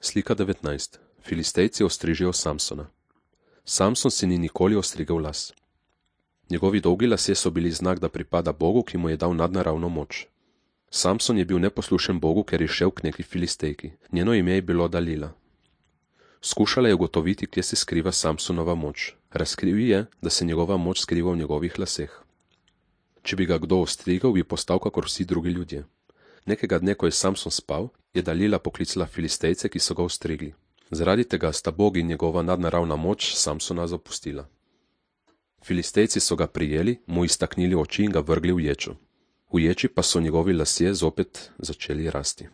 Slika 19. Filistejci ostrižijo Samsona. Samson si ni nikoli ostrigel las. Njegovi dolgi lasje so bili znak, da pripada Bogu, ki mu je dal nadnaravno moč. Samson je bil neposlušen Bogu, ker je šel k neki Filistejki. Njeno ime je bilo Dalila. Skušala je ugotoviti, kje se skriva Samsonova moč. Razkril je, da se njegova moč skriva v njegovih laseh. Če bi ga kdo ostrigel, bi postal kakor vsi drugi ljudje. Nekega dne, ko je Samson spal, je Dalila poklicala Filistejce, ki so ga ostrigli. Zaradi tega sta Bog in njegova nadnaravna moč Samsona zapustila. Filistejci so ga prijeli, mu iztaknili oči in ga vrgli v ječo. V ječi pa so njegovi lasje zopet začeli rasti.